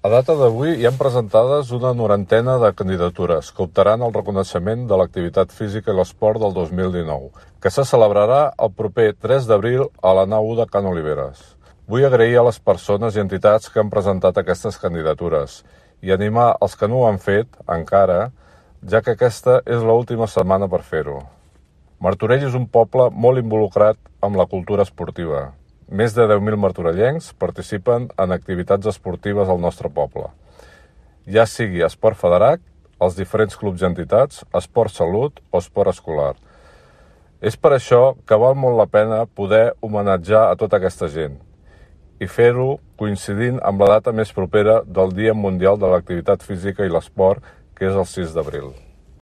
A data d'avui hi han presentades una 90ena de candidatures que optaran al reconeixement de l'activitat física i l'esport del 2019, que se celebrarà el proper 3 d'abril a la nau 1 de Can Oliveres. Vull agrair a les persones i entitats que han presentat aquestes candidatures i animar els que no ho han fet encara, ja que aquesta és l'última setmana per fer-ho. Martorell és un poble molt involucrat amb la cultura esportiva. Més de 10.000 martorellencs participen en activitats esportives al nostre poble. Ja sigui esport federat, els diferents clubs i entitats, esport salut o esport escolar. És per això que val molt la pena poder homenatjar a tota aquesta gent i fer-ho coincidint amb la data més propera del Dia Mundial de l'Activitat Física i l'Esport, que és el 6 d'abril.